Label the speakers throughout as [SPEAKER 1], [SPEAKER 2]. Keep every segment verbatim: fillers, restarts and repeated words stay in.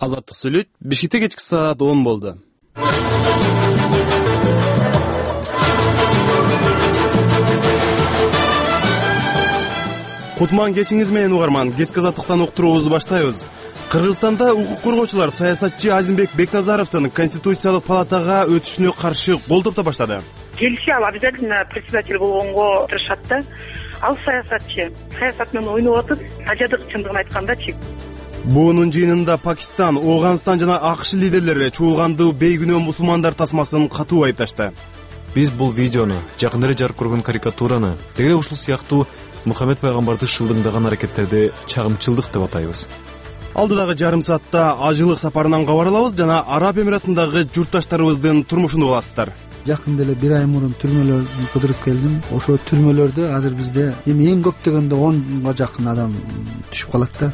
[SPEAKER 1] Азаттык сүйлөйт. Бишкекте кечки саат он болду. Кутман кечиңиз менен угарман. Кечки азаттыктан уктуруубузду баштайбыз. Кыргызстанда укук коргоочулар саясатчы Азимбек Бекназаровдун Конституциялык палатага өтүшүнө каршы кол топто баштады.
[SPEAKER 2] Келиши ал обязательно председатель болгонго тырышат да. Ал саясатчы. Саясат менен ойноп атып, тажадык чындыгын айткандачы.
[SPEAKER 1] Буунун жыйынында Пакистан, Ооганстан жана АКШ лидерлери чуулгандуу бейгүнөө мусулмандар тасмасын катуу айыпташты.
[SPEAKER 3] Биз бул видеону, жакындары жарык көргөн карикатураны, деги ушул сыяктуу Мухаммед пайгамбарды шылдыңдаган аракеттерди чагымчылдык деп атайбыз.
[SPEAKER 1] Алдыдагы жарым саатта ажылык сапарынан кабар алабыз жана Араб Эмиратындагы журтташтарыбыздын турмушун угасыздар.
[SPEAKER 4] Жакында эле бир ай мурун түрмөлөрдү кыдырып келдим. Ошо түрмөлөрдө азыр бизде эми эң көп дегенде онго жакын адам түшүп калат да.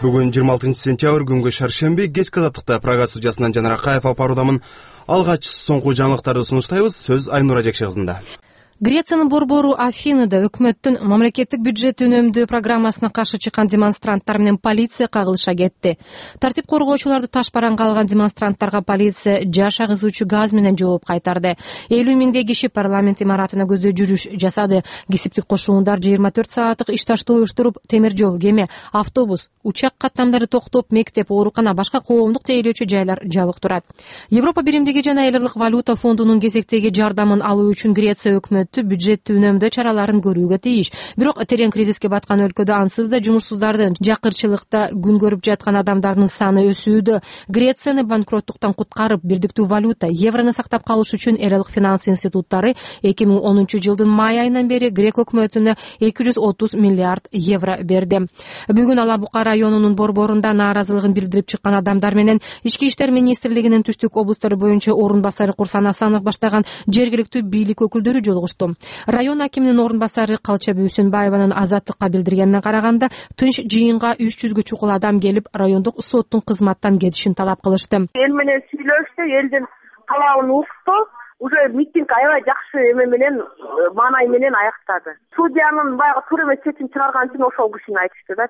[SPEAKER 1] Бүгүн жыйырма алтынчы сентябрь күнгө шаршемби кечки азаттыкта Прага студиясынан Жанар Акаев алып баруудамын. Алгач соңку жаңылыктарды сунуштайбыз. Сөз Айнура Жекши кызында.
[SPEAKER 5] Грециянын борбору Афинада өкмөттүн мамлекеттик бюджет үнөмдөө программасына каршы чыккан демонстранттар менен полиция кагылыша кетти. Тартип коргоочуларды таш бараңга алган демонстранттарга полиция жаш агызуучу газ менен жооп кайтарды. элүү миңдей киши парламент имаратына көздөй жүрүш жасады. Кесиптик кошуундар жыйырма төрт сааттык иш таштоо уюштуруп, темир жол, кеме, автобус, учак каттамдары токтоп, мектеп, оорукана, башка коомдук тейлөөчү жайлар жабык турат. Европа биримдиги жана эл аралык валюта фондунун кезектеги жардамын алуу үчүн Греция өкмөтү бюджеттүү үнөмдөө чараларын көрүүгө тийиш. Бирок терең кризиске баткан өлкөдө ансыз да жумушсуздардын, жакырчылыкта күн көрүп жаткан адамдардын саны өсүүдө. Грецияны банкроттуктан куткарып, бирдиктүү валюта, еврону сактап калыш үчүн эл аралык финанс институттары эки миң онунчу жылдын май айынан бери Грек өкмөтүнө эки жүз отуз миллиард евро берди. Бүгүн Алабука районунун борборунда нааразылыгын билдирип чыккан адамдар менен Ички иштер министрлигинин түштүк облустары боюнча орун басары Курсан Асанов баштаган жергиликтүү бийлик өкүлдөрү жолугушту. Район акиминин орун басары Калча Бүйсүнбаеванын Азаттыкка билдиргенине караганда, тынч жыйынга үч жүзгө чукул адам келип, райондук соттун кызматтан кетишин талап кылышты.
[SPEAKER 2] Эл менен сүйлөштү, элдин талабын укту. Уже митинг аябай жакшы эме менен, маанай менен аяктады. Судьянын баягы туура эмес чечим чыгарган үчүн ошол кишини айтышты да.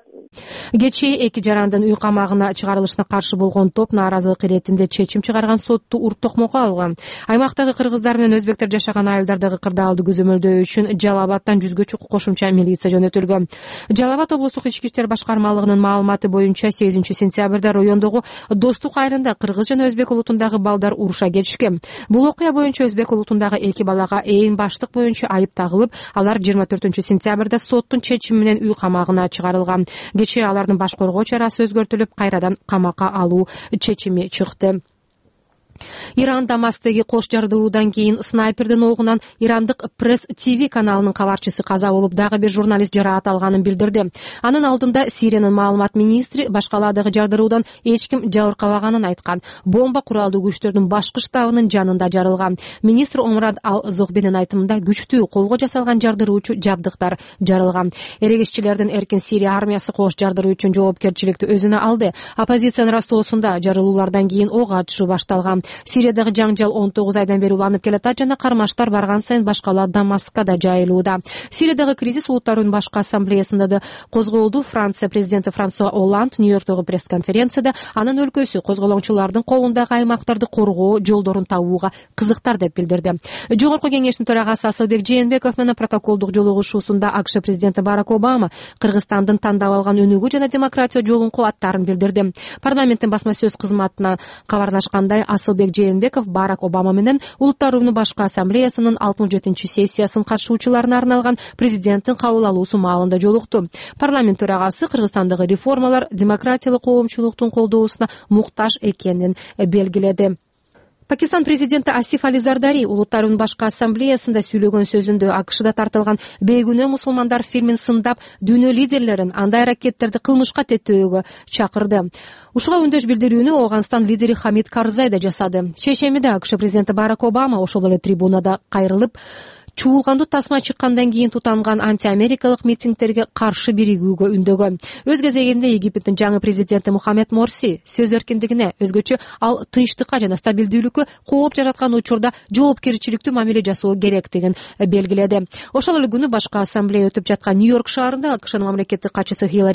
[SPEAKER 5] Кечээ эки жарандын үй камагына чыгарылышына каршы болгон топ нааразылык иретинде чечим чыгарган сотту урт токмокко алган. Аймактагы кыргыздар менен өзбектер жашаган айылдардагы кырдаалды көзөмөлдөө үчүн Жалал Абадтан жүзгө чукул кошумча милиция жөнөтүлгөн. Жалал Абад облустук ички иштер башкармалыгынын маалыматы боюнча сегизинчи сентябрда райондогу Достук айылында кыргыз жана өзбек улутундагы балдар уруша кетишкен. Бул окуя боюнча өзбек улутундагы эки балага ээн баштык боюнча айып тагылып, алар жыйырма төртүнчү сентябрда соттун чечими менен үй камагына чыгарылган. Кечээ алардын баш коргоо чарасы өзгөртүлүп, кайрадан камакка алуу чечими чыкты. Иран Дамастеги кош жардыруудан кийин снайпердин огунан ирандык Пресс ТВ каналынын кабарчысы каза болуп, дагы бир журналист жараат алганын билдирди. Анын алдында Сириянын маалымат министри башкалаадагы жардыруудан эч ким жабыркабаганын айткан. Бомба куралдуу күчтөрдүн башкы штабынын жанында жарылган. Министр Омрад Ал-Зохбенин айтымында күчтүү колго жасалган жардыруучу жабдыктар жарылган. Эрегишчилердин Эркин Сирия армиясы кош жардыруу үчүн жоопкерчиликти өзүнө алды. Оппозициянын растоосунда жарылуулардан кийин ок атышуу башталган. Сириядагы жаңжал он тогуз айдан бери уланып келатат жана кармаштар барган сайын башкалаа Дамаскка да жайылууда. Сириядагы кризис улуттарынын башкы ассамблеясында да козголду. Франция президенти Франсуа Олланд Нью-Йорктогу пресс-конференцияда анын өлкөсү козголоңчулардын колундагы аймактарды коргоо жолдорун табууга кызыктар деп билдирди. Жогорку кеңештин төрагасы Асылбек Жээнбеков менен протоколдук жолугушуусунда АКШ президенти Барак Обама Кыргызстандын тандап алган өнүгүү жана демократия жолун кубаттарын билдирди. Парламенттин басма сөз кызматына кабарлашкандай, Асылбек Жээнбеков Барак Обама менен улуттарынын башкы ассамблеясынын алтымыш жетинчи сессиясын катышуучуларына арналган президенттин кабыл алуусу маалында жолукту. Парламент төрагасы Кыргызстандагы реформалар демократиялык коомчулуктун колдоосуна муктаж экенин белгиледи. Пакистан президенти Асиф Али Зардари улуттарынын башкы ассамблеясында сүйлөгөн сөзүндө АКШда тартылган бейгүнөө мусулмандар фильмин сындап, дүйнө лидерлерин андай аракеттерди кылмышка теттөөгө чакырды. Ушуга үндөш билдирүүнү Ооганстан лидери Хамид Карзай да жасады. Чечемиде АКШ президенти Барак Обама ошол эле трибунада кайрылып, чуулгандуу тасма чыккандан кийин тутанган антиамерикалык митингдерге каршы биригүүгө үндөгөн. Өз кезегинде Египтин жаңы президенти Мухаммед Морси сөз эркиндигине, өзгөчө ал тынчтыкка жана стабилдүүлүккө кооп жараткан учурда жоопкерчиликтүү мамиле жасоо керектигин белгиледи. Ошол эле күнү башкы ассамблея өтүп жаткан Нью-Йорк шаарында АКШнын мамлекеттик катчысы Хиллари